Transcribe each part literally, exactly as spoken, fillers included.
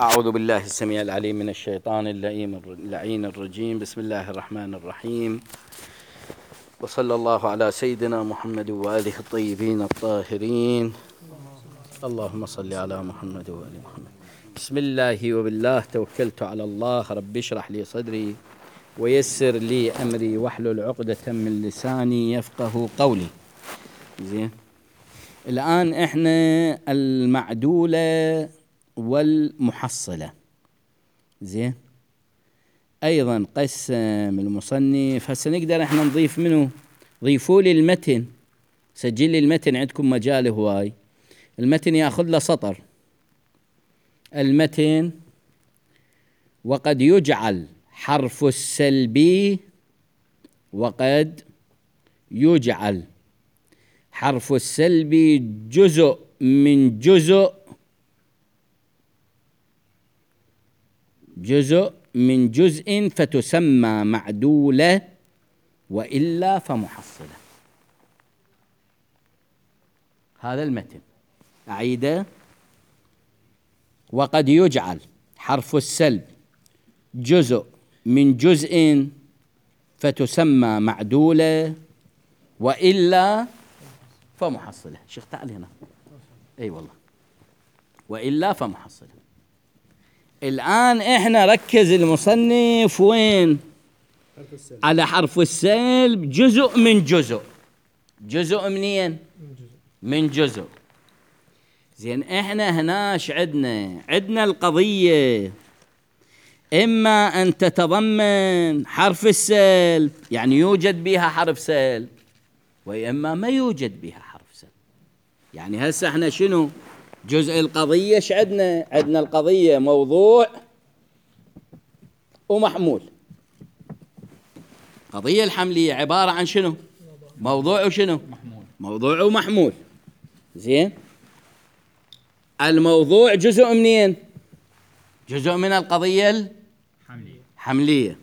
أعوذ بالله السميع العليم من الشيطان اللعين الرجيم. بسم الله الرحمن الرحيم، وصلى الله على سيدنا محمد وآله الطيبين الطاهرين. اللهم صل على محمد وآل محمد. بسم الله وبالله توكلت على الله. رب اشرح لي صدري ويسر لي أمري واحلل عقدة من لساني يفقه قولي. زين، الآن إحنا المعدولة والمحصلة. زين، أيضا قسم المصنف. هسه نقدر إحنا نضيف منه، ضيفوا لي المتن، سجل لي المتن عندكم مجال هواي. المتن يأخذ له سطر. المتن: وقد يجعل حرف السلبي وقد يجعل حرف السلبي جزء من جزء جزء من جزء فتسمى معدولة، وإلا فمحصلة. هذا المتن أعيده: وقد يجعل حرف السلب جزء من جزء فتسمى معدولة، وإلا فمحصلة. شيخ تعال هنا. أي والله، وإلا فمحصلة. الآن إحنا ركز المصنف وين؟ حرف السلب. على حرف السلب جزء من جزء. جزء منين؟ من جزء. من جزء. زين، إحنا هناش عدنا عدنا القضية إما أن تتضمن حرف السلب، يعني يوجد بها حرف سلب، وإما ما يوجد بها حرف سلب. يعني هسه إحنا شنو جزء القضية؟ ايش عدنا؟ عدنا القضية موضوع ومحمول. قضية الحملية عبارة عن شنو؟ موضوع وشنو؟ محمول. موضوع ومحمول. زين، الموضوع جزء منين؟ جزء من القضية الحملية. حملية.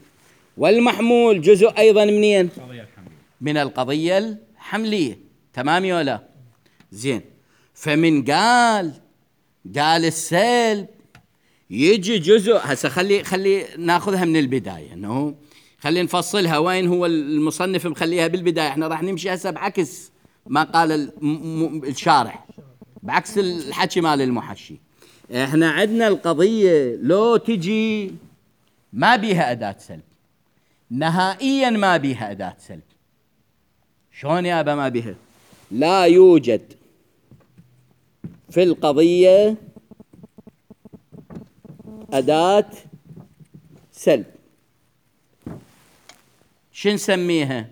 والمحمول جزء أيضا منين؟ القضية الحملية. من القضية الحملية. تمام ولا لا؟ زين، فمن قال قال السلب يجي جزء. هسه خلي خلي ناخذها من البداية، انه خلي نفصلها. وين هو المصنف مخليها بالبداية؟ احنا راح نمشي هسه بعكس ما قال الشارح، بعكس الحكي مال المحشي. احنا عندنا القضية لو تجي ما بيها أداة سلب، نهائيا ما بيها أداة سلب. شلون يا أبا ما بيها؟ لا يوجد في القضية أداة سلب. شو نسميها؟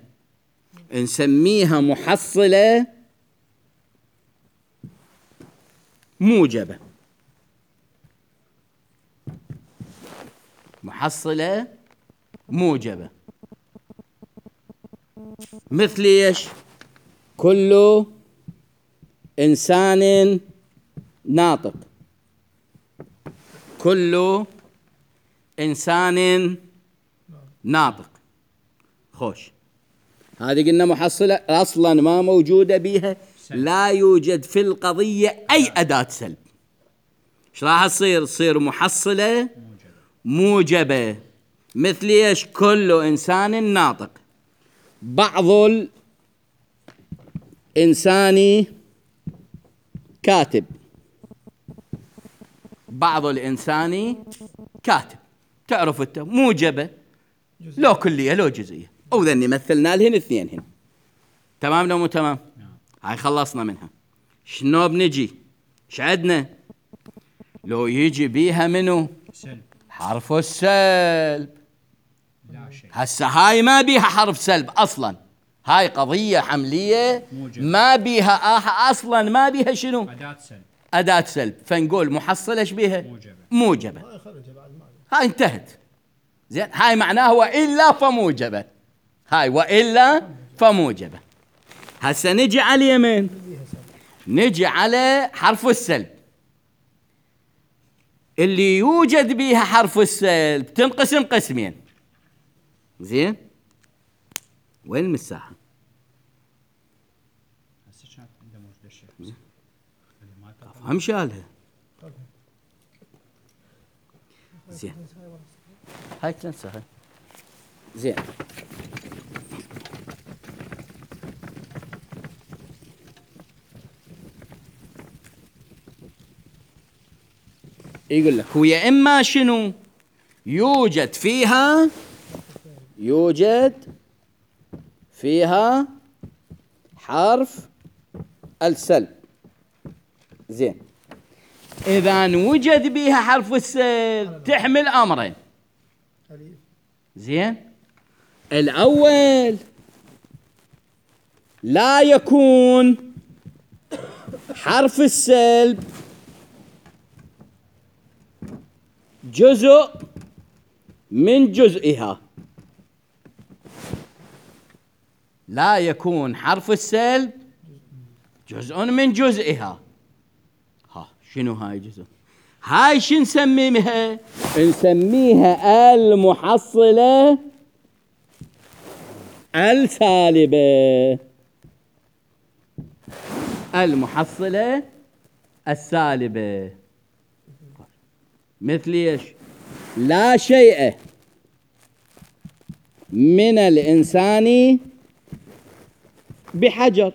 نسميها محصلة موجبة. محصلة موجبة مثل ايش؟ كل إنسان ناطق. كل إنسان ناطق. خوش، هذه قلنا محصلة أصلا ما موجودة بيها، لا يوجد في القضية أي أداة سلب. ايش راح تصير؟ تصير محصلة موجبة مثل ايش؟ كل إنسان ناطق. بعض الإنسان كاتب. بعض الإنسان كاتب. تعرف انت موجبة لو كلية لو جزئية. أو ذني مثلنا لهن اثنين هن. تمام لو مو تمام؟ هاي خلصنا منها. شنو بنجي؟ ايش عدنا؟ لو يجي بيها منو؟ سلب. حرف السلب. لا شيء. هسه هاي ما بيها حرف سلب أصلا. هاي قضية حملية موجب. ما بيها آه أصلا ما بيها شنو؟ أداة سلب. أداة سلب. فنقول محصلة ايش بيها؟ موجبة. موجبة. هاي انتهت. زين، هاي معناه وإلا فموجبة. هاي وإلا فموجبة. هسه نجي على اليمين، نجي على حرف السلب. اللي يوجد بيها حرف السلب تنقسم قسمين. زين، وين المساحة؟ هم شالها. زين هاي تنسى. زين يقول لك هو يا إما شنو يوجد فيها يوجد فيها حرف السلب. زين إذا وجد بها حرف السلب تحمل أمرين. زين الأول لا يكون حرف السلب جزء من جزئها. لا يكون حرف السلب جزء من جزئها. ها شنو هاي جزء؟ هاي شو نسميها؟ نسميها المحصلة السالبة. المحصلة السالبة مثل ايش؟ لا شيء من الإنسان بحجر.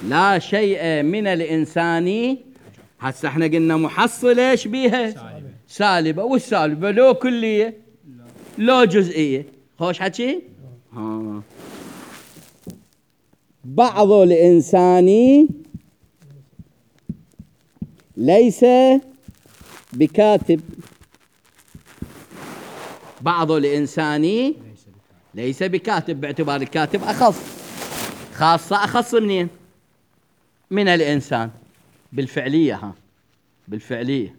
لا شيء من الإنسان. هسه احنا قلنا محصلة ايش بيها؟ سالبة. سالبة. والسالبة لو كلية لو جزئية. خوش حكي؟ ها. بعض الإنسان ليس بكاتب. بعض الإنسان ليس بكاتب باعتبار الكاتب أخص. خاصة أخص منين؟ من الإنسان بالفعلية. ها بالفعلية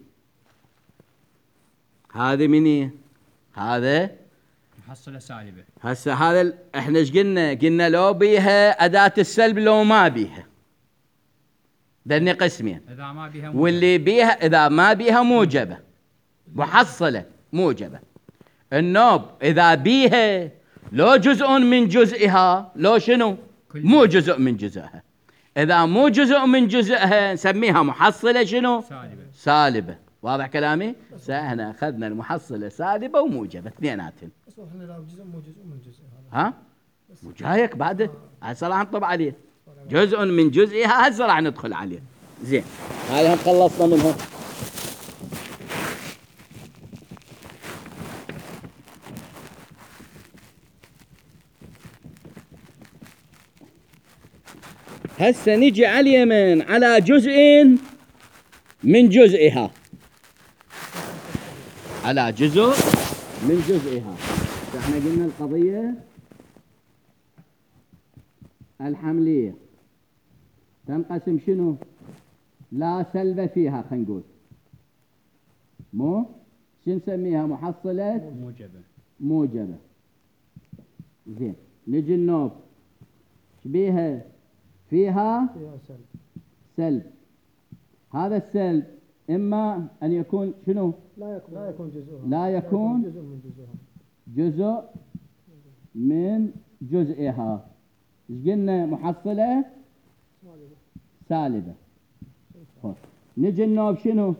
هذه مني هذا محصلة سالبة. هسه هذا احنا ايش قلنا؟ قلنا لو بيها أداة السلب لو ما بيها. ذني قسمين. إذا ما بيها موجبة. واللي بيها إذا ما بيها موجبة. محصلة موجبة. النوب إذا بيها لو جزء من جزئها لو شنو؟ مو جزء من جزئها. إذا مو جزء من جزئها نسميها محصلة شنو؟ سالبة. سالبة. واضح كلامي؟ احنا أخذنا المحصلة سالبة وموجبة اثنيناتهم. بس احنا لو جزء مو جزء من جزء ها؟ وجايك بعد هسه راح نطبع عليه. جزء من جزئها هسه راح ندخل عليه. زين هاي هم خلصنا منها. هسه نجي على اليمين على جزء من جزئها. على جزء من جزئها. احنا قلنا القضية الحملية تنقسم شنو؟ لا سلب فيها. خلينا نقول مو شو نسميها؟ محصلة موجبة. موجبة. زين نجي النوب شبيها؟ فيها فيها سلب. سلب. هذا السلب إما أن يكون شنو؟ لا يكون لا يكون جزء. لا يكون جزء من جزئها. جزء من جزئها. ايش قلنا؟ محصلة سالبة. نجي النوب شنو؟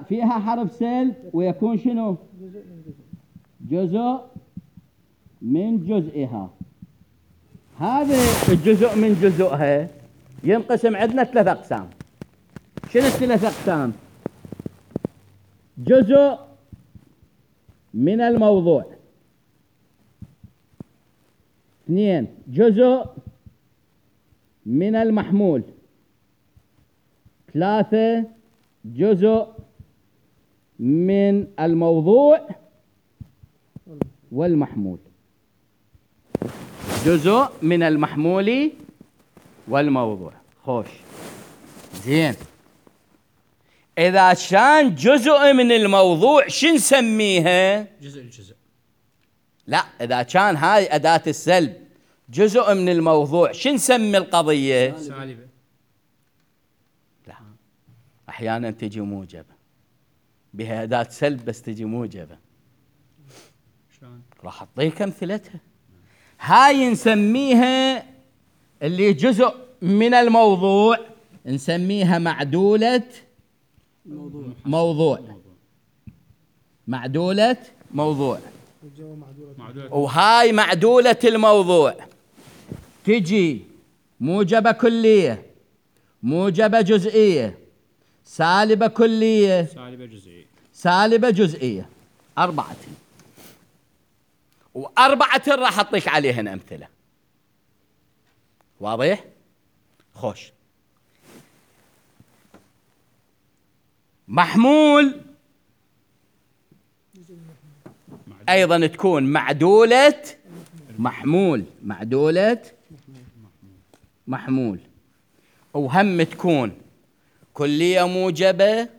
فيها حرف سلب ويكون شنو؟ جزء من جزء. جزء من جزئها. هذا الجزء من جزئها ينقسم عندنا ثلاث أقسام. شنو الثلاث أقسام؟ جزء من الموضوع. اثنين جزء من المحمول. ثلاثة جزء من الموضوع والمحمول. جزء من المحمول والموضوع. خوش زين. إذا كان جزء من الموضوع شو نسميها؟ جزء الجزء. لا إذا كان هاي أداة السلب جزء من الموضوع شو نسمي القضية؟ سالبة. لا أحيانا تجي موجبة. بها أداة سلب بس تجي موجبة. شلون؟ راح أعطيك أمثلتها. هاي نسميها اللي جزء من الموضوع نسميها معدولة موضوع موضوع. معدولة موضوع. والجواب معدولة معدولة. وهاي معدولة الموضوع تجي موجبة كلية، موجبة جزئية، سالبة كلية، سالبة جزئية. سالبة جزئية. أربعة، وأربعة راح أعطيك عليهن أمثلة. واضح؟ خوش. محمول أيضا تكون معدولة محمول، معدولة محمول، وهم تكون كلية موجبة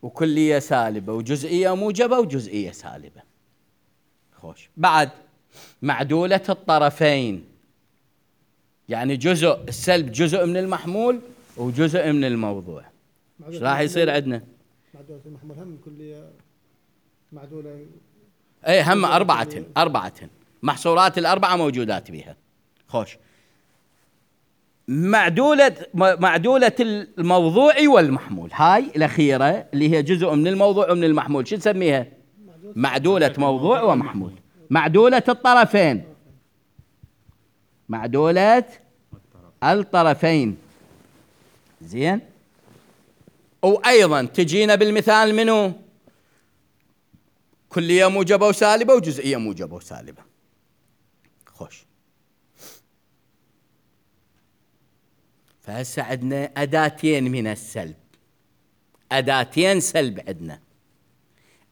وكلية سالبة، وجزئية موجبة وجزئية سالبة. خوش. بعد معدولة الطرفين، يعني جزء السلب جزء من المحمول وجزء من الموضوع. ايش راح يصير عندنا؟ معدولة المحمول هم كلية معدولة. اي هم أربعة أربعة محصورات الأربعة موجودات بها. خوش. معدولة معدولة الموضوع والمحمول، هاي الأخيرة اللي هي جزء من الموضوع ومن المحمول، شو نسميها؟ معدولة موضوع ومحمول. معدولة الطرفين، معدولة الطرفين. زين. وأيضا تجينا بالمثال منو؟ كلية موجبة وسالبة وجزئية موجبة وسالبة. خوش. فهسه عندنا أداتين من السلب، أداتين سلب عندنا.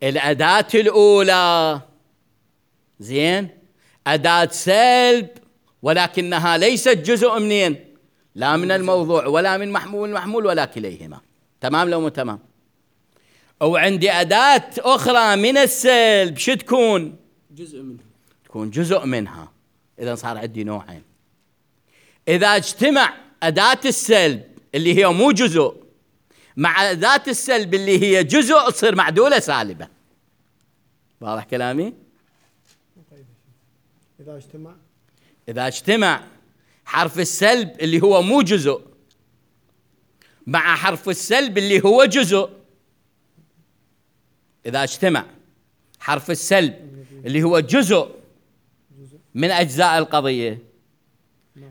الأداة الأولى زين أداة سلب، ولكنها ليست جزء منين؟ لا من الموضوع ولا من محمول المحمول ولا كليهما. تمام لو مو تمام؟ وعندي أداة أخرى من السلب، شو تكون؟ جزء منها. تكون جزء منها. إذا صار عندي نوعين. إذا اجتمع أداة السلب اللي هي مو جزء مع أداة السلب اللي هي جزء، تصير معدولة سالبة. واضح كلامي؟ إذا اجتمع إذا اجتمع حرف السلب اللي هو مو جزء مع حرف السلب اللي هو جزء، إذا اجتمع حرف السلب اللي هو جزء من أجزاء القضية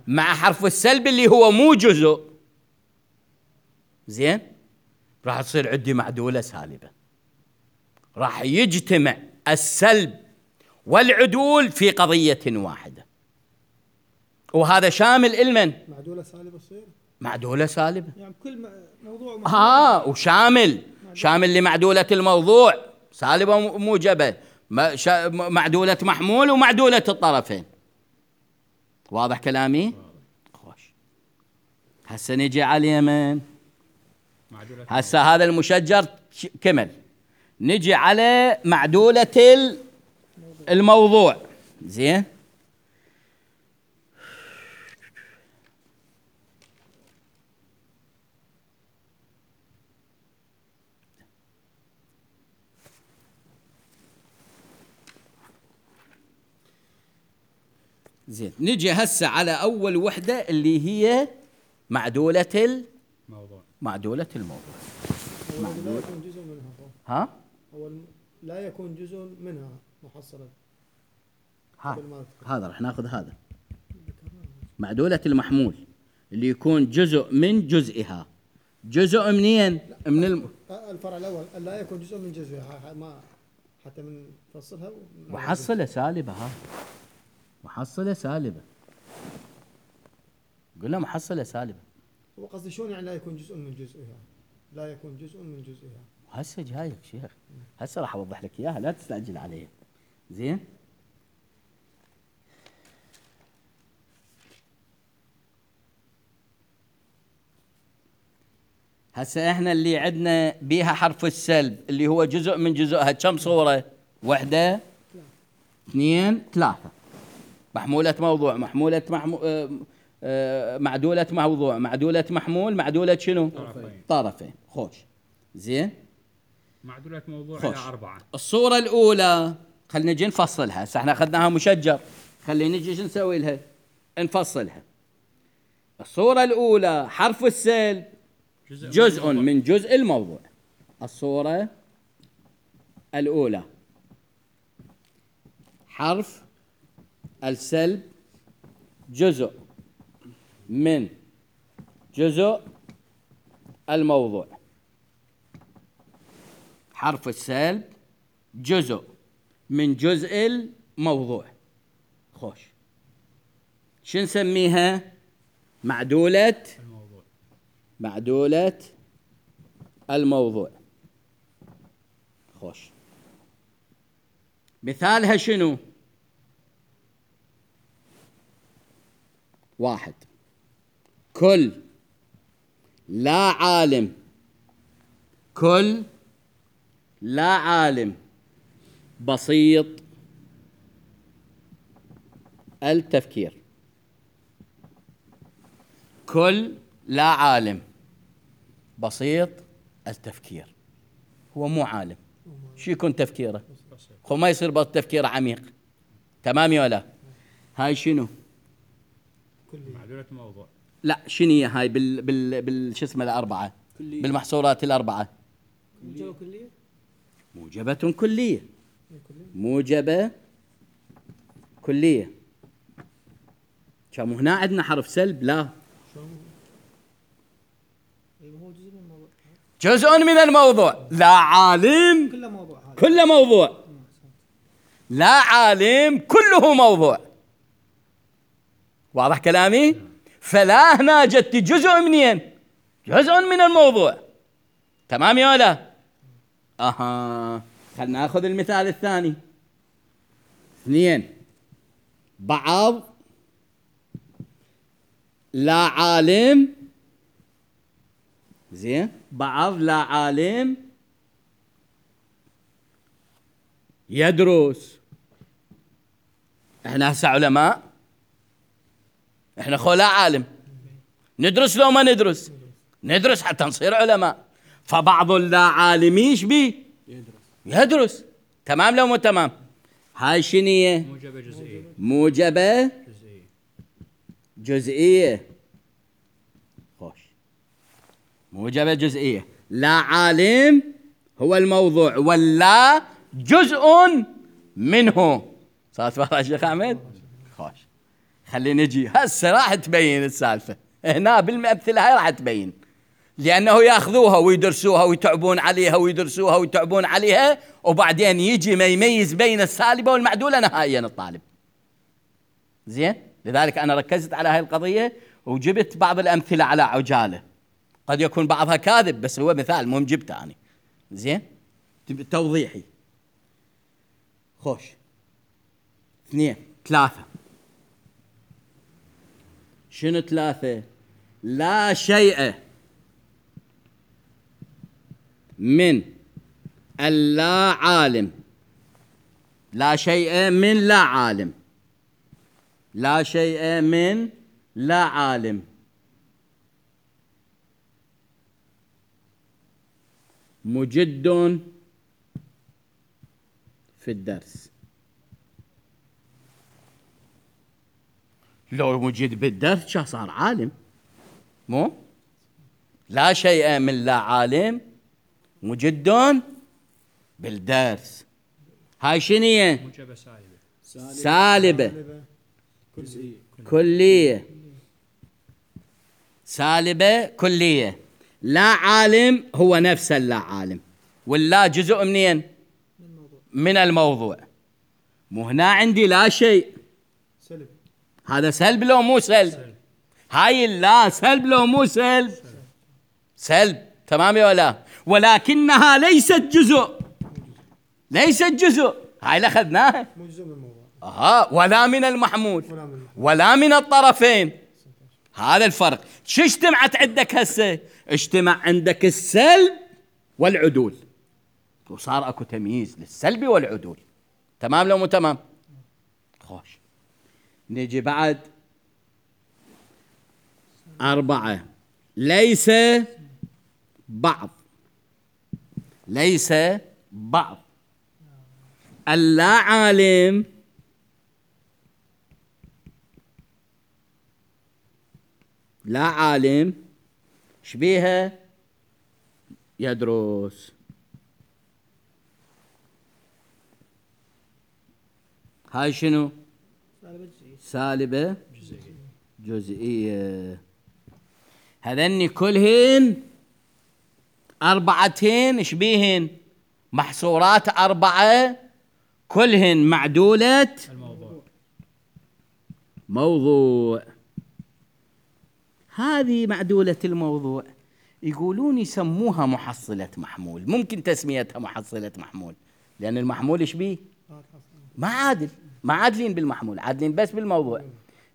مع حرف السلب اللي هو مو جزء، زين، راح تصير عندي معدولة سالبة. راح يجتمع السلب والعدول في قضية واحدة، وهذا شامل المن؟ معدولة سالبة تصير. معدولة سالبة يعني كل موضوع ها، وشامل شامل لمعدولة الموضوع سالبة وموجبة، معدولة محمول ومعدولة الطرفين. واضح كلامي؟ خوش. هسه نجي على اليمن. هسه هذا المشجر كمل. نجي على معدولة الموضوع. زين. زين. نجي هسه على أول وحدة اللي هي معدولة الموضوع. معدولة الموضوع. لا يكون جزء منها. ها؟ هو لا يكون جزء منها محصلة. هذا هذا راح ناخذ هذا معدولة المحمول اللي يكون جزء من جزئها. جزء منين؟ من الم... الفرع الأول لا يكون جزء من جزئها، ما حتى من فصلها. محصلة سالبة. ها، محصلة سالبة. قلنا محصلة سالبة. هو قصدي شلون يعني لا يكون جزء من جزئها؟ لا يكون جزء من جزئها. هسه جايك شيخ، هسه راح اوضح لك اياها، لا تستعجل عليه. زين. هسه احنا اللي عندنا بيها حرف السلب اللي هو جزء من جزئها، كم صورة؟ واحدة، اثنين، ثلاثة. محمولة موضوع، محمولة محمو... آه... آه... معدولة موضوع، معدولة محمول، معدولة شنو؟ طرفين. طرفين. خوش. زين. معدولة موضوع خوش. إلى أربعة. الصورة الأولى خلينا نجي نفصلها. هسه احنا أخذناها مشجر، خلينا نجي شو نسوي لها؟ نفصلها. الصورة الأولى حرف السلب جزء, جزء من, من جزء الموضوع. الصورة الأولى حرف السلب جزء من جزء الموضوع. حرف السلب جزء من جزء الموضوع. خوش، شو نسميها؟ معدولة الموضوع. معدولة الموضوع. خوش، مثالها شنو؟ واحد، كل لا عالم كل لا عالم بسيط التفكير. كل لا عالم بسيط التفكير. هو مو عالم، شو يكون تفكيره؟ خو ما يصير بس تفكيره عميق. تمام يا ولا؟ هاي شنو؟ معدولة الموضوع. لا، شنو هي هاي بال بال بال شو اسمه الأربعة؟ كلية. بالمحصورات الأربعة. موجبة كلية. موجبة كلية. موجبة كلية. كم هنا عندنا حرف سلب؟ لا، هو جزء من الموضوع. جزء من الموضوع. لا عالم كله موضوع هذا. كله موضوع. لا عالم كله موضوع. واضح كلامي؟ فلا هنا جت جزء منين؟ جزء من الموضوع. تمام يا ولا؟ اها، خلنا ناخذ المثال الثاني. اثنين، بعض لا عالم، زين، بعض لا عالم يدرس. احنا هسه علماء، احنا خو لا عالم، ندرس لو ما ندرس؟ ندرس حتى نصير علماء. فبعض اللا عالم ايش بي؟ يدرس. يدرس. تمام لو مو تمام؟ هاي شنية؟ موجبة جزئية. موجبة جزئية. جزئية. خوش، موجبة جزئية. لا عالم هو الموضوع، ولا جزء منه. صارت واضحة يا شيخ أحمد؟ خوش، خلينا نجي هسه راح تبين السالفة هنا بالمثل هاي، راح تبين. لأنه يأخذوها ويدرسوها ويتعبون عليها ويدرسوها ويتعبون عليها، وبعدين يجي ما يميز بين السالبة والمعدولة نهائيا الطالب. زين، لذلك أنا ركزت على هاي القضية وجبت بعض الأمثلة على عجالة. قد يكون بعضها كاذب، بس هو مثال مهم جبته أنا. زين، توضيحي. خوش، اثنين، ثلاثة. شنو ثلاثة؟ لا شيء من اللا عالم. لا شيء من لا عالم. لا شيء من لا عالم. مجد في الدرس. لو مجد بالدرس شا صار عالم؟ مو لا شيء من لا عالم مجد بالدرس. هاي شنية؟ موجبة سالبة. سالبة. كلية. كلية. سالبة كلية. لا عالم هو نفس اللا عالم، واللا جزء منين؟ من الموضوع. مو هنا عندي لا شيء، سلب. هذا سلب لو مو سلب؟ سلب. هاي اللا سلب لو مو سلب؟ سلب. سلب. تمام يا ولا؟ ولكنها ليست جزء. ليست جزء. هاي اللي اخذناها. مو جزء من الموضوع. اها، ولا من المحمول ولا من, ولا من الطرفين. هذا الفرق. شو اجتمعت عندك هسه؟ اجتمع عندك السلب والعدول، وصار اكو تمييز للسلب والعدول. تمام لو مو تمام؟ خوش، نجي بعد أربعة. ليس بعض. ليس بعض اللا عالم لا عالم شبيها يدرس. هاي شنو؟ سالبة جزئية. جزئية. هذني كلهن أربعتين شبيهن محصورات أربعة كلهن معدولة الموضوع. موضوع. هذه معدولة الموضوع يقولون يسموها محصلة محمول. ممكن تسميتها محصلة محمول لأن المحمول ايش بيه؟ ما عادل، ما عادلين بالمحمول، عادلين بس بالموضوع.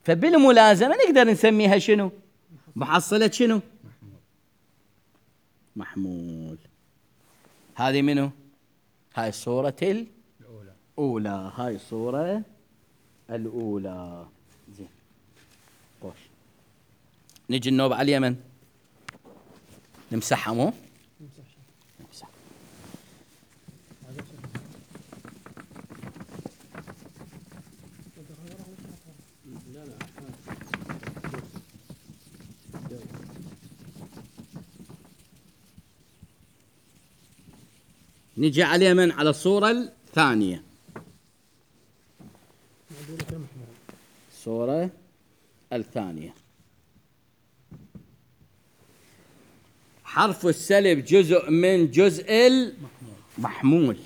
فبالملازمة نقدر نسميها شنو؟ محصلة شنو؟ محمول. هذه منو؟ هاي الصورة الأولى. الأولى. هاي الصورة الأولى. زين خوش. نجي النوب على اليمن نمسحها مو؟ نمسح. نجي على اليمن على الصورة الثانية. الصورة الثانية. حرف السلب جزء من جزء المحمول.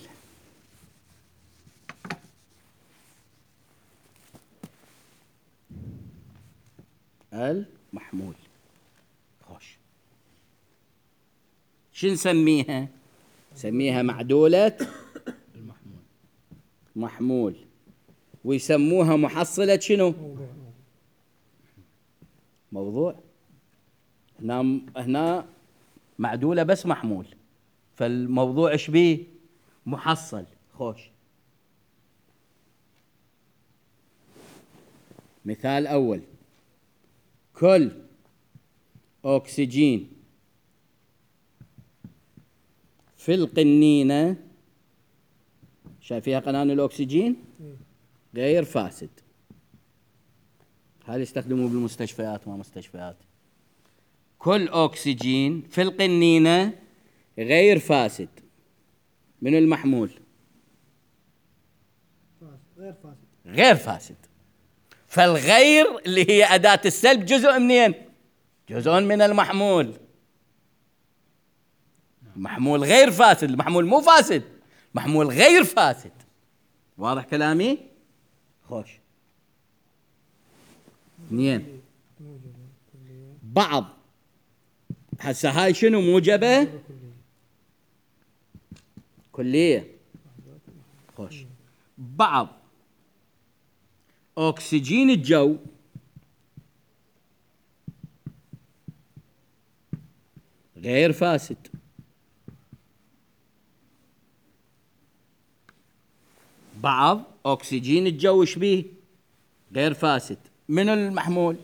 المحمول. خوش. شو نسميها؟ نسميها معدولة المحمول. محمول. ويسموها محصلة شنو؟ موضوع. هنا هنا معدولة بس محمول، فالموضوع ايش بيه؟ محصل. خوش. مثال أول: كل أكسجين في القنينة، شايفيها قنان الأكسجين؟ غير فاسد. هذا يستخدموه بالمستشفيات وما مستشفيات. كل أكسجين في القنينة غير فاسد. من المحمول؟ غير فاسد. غير فاسد. فالغير اللي هي أداة السلب جزء منين؟ جزء من المحمول. محمول غير فاسد، المحمول مو فاسد، محمول غير فاسد. واضح كلامي؟ خوش. اثنين: بعض. هسه هاي شنو؟ موجبة كلية. خوش. بعض أكسجين الجو غير فاسد. بعض أكسجين الجو ايش بيه؟ غير فاسد. من المحمول؟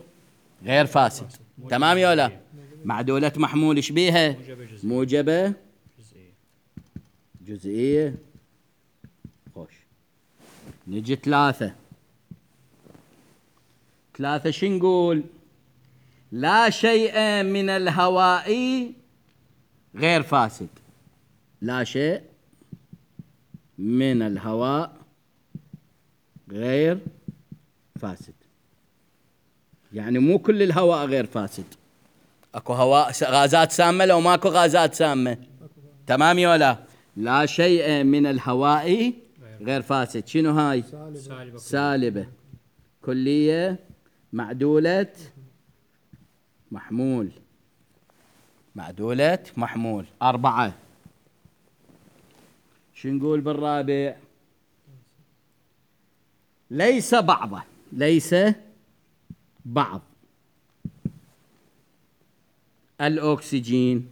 غير فاسد. تمام يا ولا؟ معدولة محمول ايش بيها؟ موجبة جزئية. موجبة جزئية. جزئية. خوش. نجي ثلاثة. ثلاثة شو نقول؟ لا شيء من الهواء غير فاسد. لا شيء من الهواء غير فاسد. يعني مو كل الهواء غير فاسد. اكو هواء غازات سامة لو ماكو غازات سامة. تمام يا ولا؟ لا شيء من الهواء غير فاسد. شنو هاي؟ سالبة. سالبة كلية معدولة محمول. معدولة محمول. أربعة. شو نقول بالرابع؟ ليس بعضه. ليس بعض الأكسجين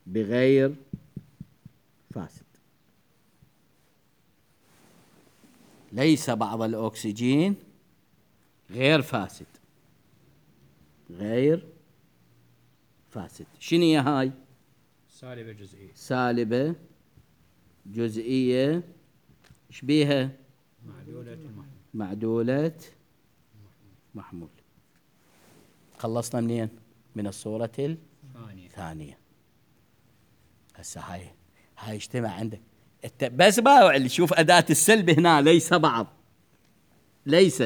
بغير فاسد. ليس بعض الأكسجين غير فاسد. غير فاسد. شنو هي هاي؟ سالبة جزئية. سالبة جزئية. ايش بيها؟ معدولة المحمول. معدولة محمول. خلصنا منين؟ من الصورة ثانية. الثانية. هسه هاي هاي اجتمع عندك الت... بس باوع شوف أداة السلب هنا، ليس بعض، ليس،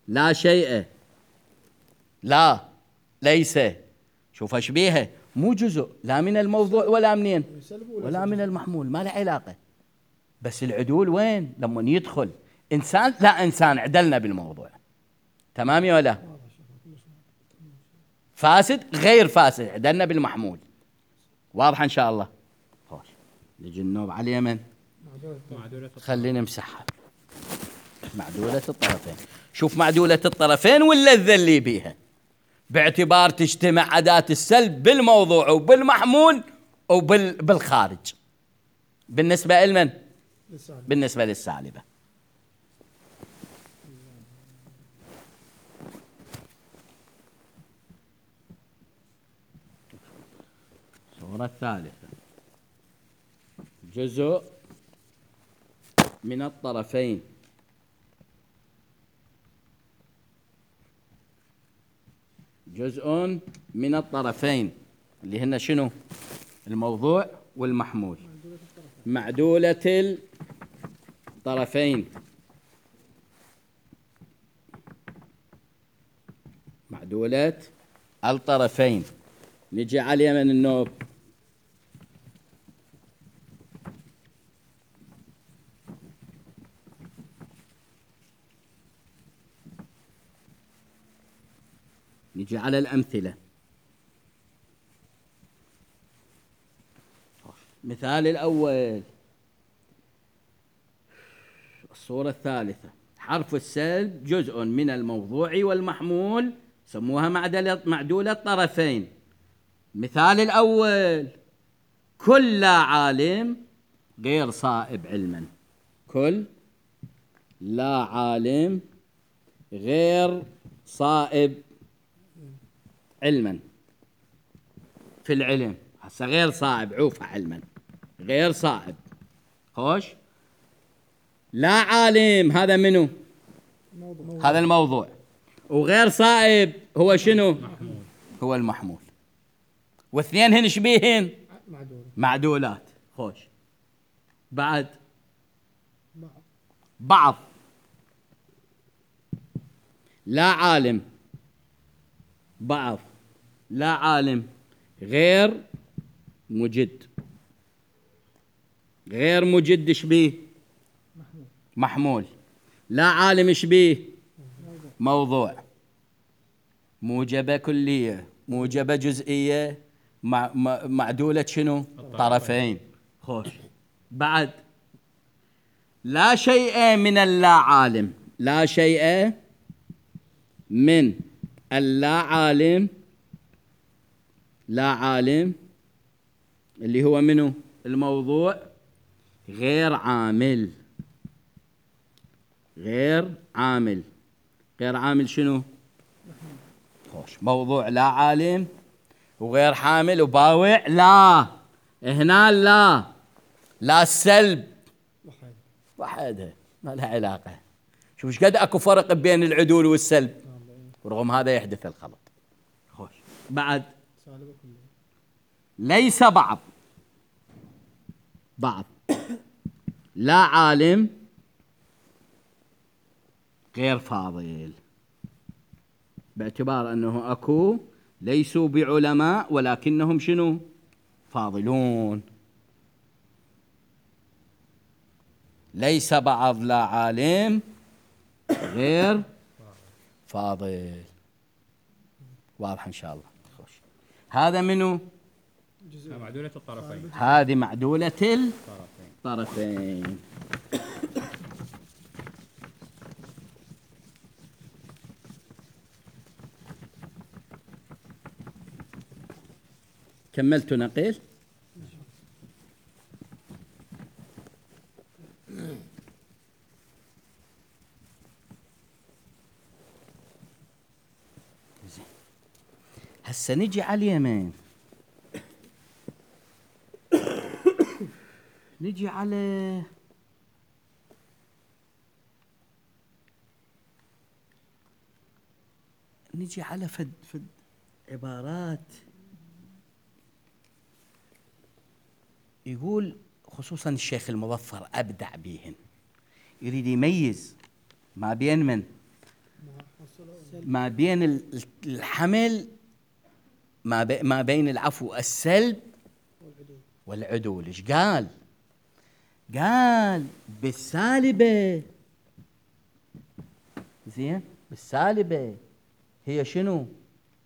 لا شيء، لا، ليس، شوف ايش بيها، مو جزء لا من الموضوع ولا منين ولا من المحمول، ما له علاقة. بس العدول وين؟ لما يدخل إنسان، لا إنسان عدلنا بالموضوع، تمام يا ولا؟ فاسد غير فاسد عدلنا بالمحمول، واضحة إن شاء الله. خوش نجي النوب على اليمن، معدولة خلينا نمسحها. معدولة الطرفين، شوف معدولة الطرفين واللذة اللي بيها، باعتبار تجتمع أداة السلب بالموضوع وبالمحمول وبالخارج. بالنسبة لمن؟ بالنسبة للسالبة. الصورة الثالثة، جزء من الطرفين، جزء من الطرفين اللي هن شنو؟ الموضوع والمحمول. معدولة الطرفين، معدولة الطرفين. نجي على اليمن النوب، نجي على الأمثلة. مثال الأول، الصورة الثالثة، حرف السلب جزء من الموضوع والمحمول، سموها معدلة معدولة الطرفين. مثال الأول، كل لا عالم غير صائب علما، كل لا عالم غير صائب علما. في العلم هسه غير صائب، عوفة علما، غير صائب. خوش، لا عالم هذا منو؟ موضوع. هذا الموضوع. وغير صائب هو شنو؟ محمول. هو المحمول. واثنين هن شبيهن؟ معدول. معدولات. خوش، بعد بعض. لا عالم بعض، لا عالم غير مجد، غير مجد شبيه؟ محمول. محمول. لا عالم شبيه؟ موضوع. موجبة كلية، موجبة جزئية، مع معدولة شنو؟ طرفين. خوش، بعد لا شيء من اللا عالم، لا شيء من اللا عالم، لا عالم اللي هو منو؟ الموضوع، غير عامل، غير عامل، غير عامل شنو؟ خوش، موضوع لا عالم وغير حامل وباوع، لا هنا لا لا السلب وحدها ما لها علاقة. شوف ايش قد اكو فرق بين العدول والسلب، ورغم هذا يحدث الخلط. خوش، بعد ليس بعض، بعض لا عالم غير فاضل، باعتبار أنه أكو ليسوا بعلماء ولكنهم شنو؟ فاضلون. ليس بعض لا عالم غير فاضل، واضح إن شاء الله. خوش، هذا منو؟ معدولة الطرفين، هذه معدولة الطرفين. كملت نقيل. هسه نجي على اليمين، نجي على نجي على فد فد عبارات يقول خصوصا الشيخ المظفر أبدع بيهن، يريد يميز ما بين من ما بين الحمل ما, بي ما بين العفو السلب والعدول. ايش قال؟ قال بالسالبة، زين، بالسالبة هي شنو؟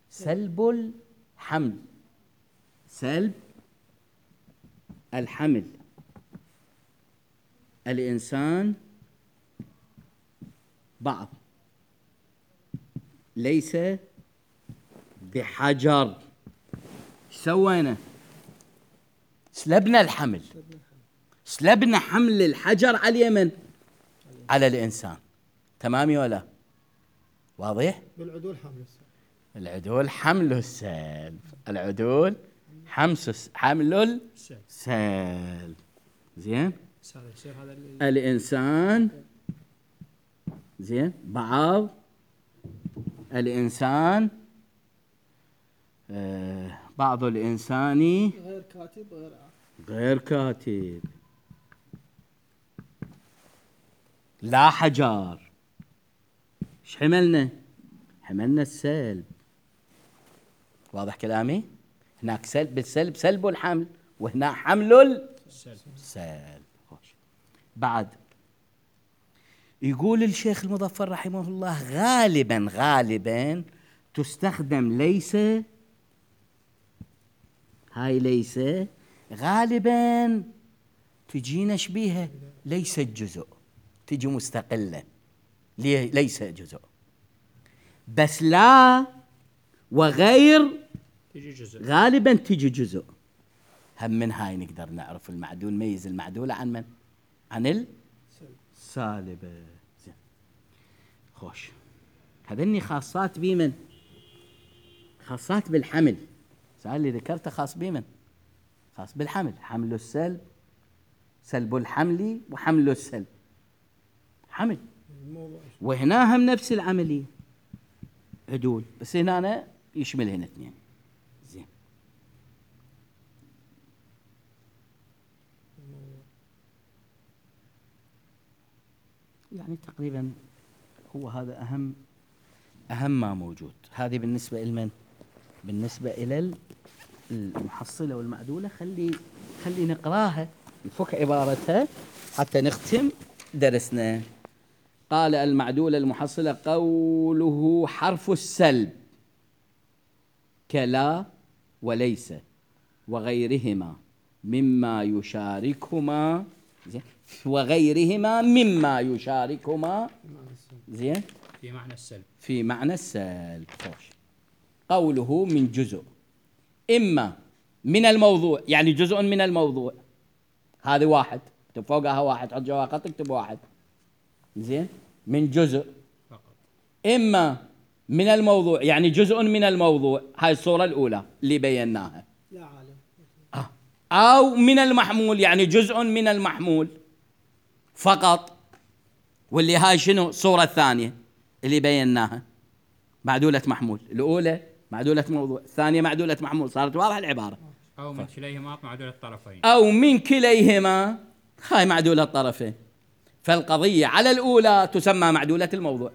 سلب الحمل، سلب الحمل. الإنسان بعض ليس بحجر. ايش سوينا؟ سلبنا الحمل، سلبنا حمل الحجر على اليمن على الإنسان. تمام ولا واضح؟ بالعدول حمل السلب، العدول حمل السلب، العدول حمس حمل السلب. زين، الإنسان، زين، بعض الإنسان آه بعض الإنسان غير كاتب غير عاقل. غير كاتب لا حجار. ايش حملنا؟ حملنا السلب. واضح كلامي؟ هناك سلب، بالسلب سلب الحمل، وهنا حمل السلب. بعد يقول الشيخ المظفر رحمه الله غالبا غالبا تستخدم ليس، هاي ليس غالبا تجينا شبيهة ليس الجزء، تجي مستقلة، ليس جزء. بس لا وغير تجي جزء، غالبا تجي جزء. هم من هاي نقدر نعرف المعدول، نميز المعدولة عن من؟ عن السالبة. زين، خوش، هذني خاصات بمن؟ خاصات بالحمل. سؤال اللي ذكرته خاص بمن؟ خاص بالحمل. حمل السلب، سلب الحمل، وحمل السلب، حمل. وهنا هم نفس العملية، عدول، بس هنا أنا يشملهن اثنين. زين، يعني تقريبا هو هذا أهم أهم ما موجود. هذه بالنسبة لمن؟ بالنسبة إلى المحصلة والمعدولة. خلي خلي نقراها، نفك عبارتها حتى نختم درسنا. قال المعدولة المحصلة قوله حرف السلب كلا وليس وغيرهما مما يشاركهما، زين، وغيرهما مما يشاركهما، زين، في معنى السلب، في معنى السلب. خوش، قوله من جزء، إما من الموضوع، يعني جزء من الموضوع، هذه واحد، اكتب فوقها واحد، حط جوا خط اكتب واحد، زين، من جزء فقط. إما من الموضوع يعني جزء من الموضوع، هاي الصورة الأولى اللي بيناها. لا عالم. آه. أو من المحمول يعني جزء من المحمول فقط، واللي هاي شنو؟ الصورة الثانية اللي بيناها، معدولة محمول. الأولى معدولة موضوع، الثانية معدولة محمول. صارت واضحة العبارة. أو من كليهما معدولة الطرفين، أو من كليهما، هاي معدولة الطرفين. فالقضية على الأولى تسمى معدولة الموضوع،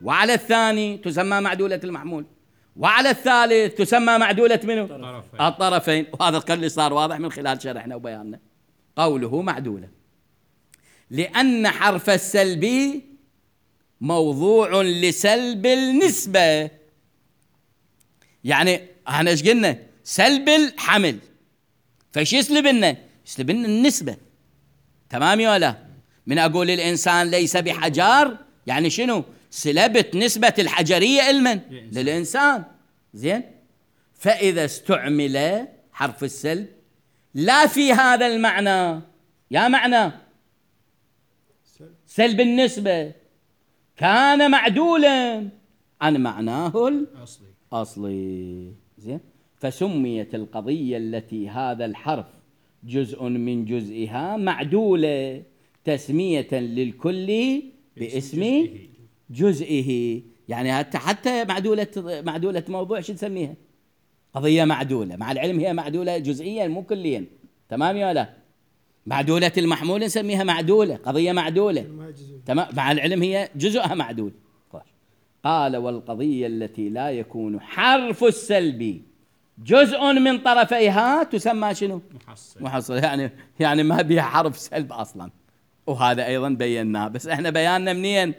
وعلى الثاني تسمى معدولة المحمول، وعلى الثالث تسمى معدولة منه؟ الطرفين. الطرفين. وهذا القول اللي صار واضح من خلال شرحنا وبياننا. قوله معدولة لأن حرف السلب موضوع لسلب النسبة. يعني احنا ايش قلنا؟ سلب الحمل، فايش يسلب لنا؟ يسلب لنا النسبة. تمام ولا؟ من أقول الإنسان ليس بحجر، يعني شنو؟ سلبت نسبة الحجرية المن؟ للإنسان. زين، فإذا استعمل حرف السلب لا في هذا المعنى، يا معنى سلب النسبة، كان معدولا عن معناه الأصلي. أصلي. زين، فسميت القضية التي هذا الحرف جزء من جزئها معدولة تسمية للكل باسم جزئه. يعني حتى حتى معدولة معدولة موضوع شو تسميها؟ قضية معدولة، مع العلم هي معدولة جزئيا مو كليا، تمام يا لا؟ معدولة المحمول نسميها معدولة، قضية معدولة، تمام، مع العلم هي جزءها معدول. قال والقضية التي لا يكون حرف السلب جزء من طرفيها تسمى شنو؟ محصل. محصل، يعني يعني ما بيها حرف سلب أصلا، وهذا أيضا بيناه، بس احنا بياننا منين؟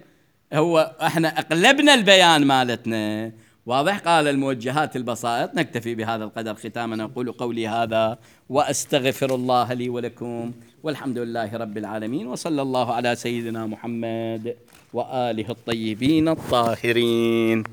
هو احنا اقلبنا البيان مالتنا، واضح؟ قال الموجهات البسائط. نكتفي بهذا القدر ختاما، أقول قولي هذا وأستغفر الله لي ولكم، والحمد لله رب العالمين، وصلى الله على سيدنا محمد وآله الطيبين الطاهرين.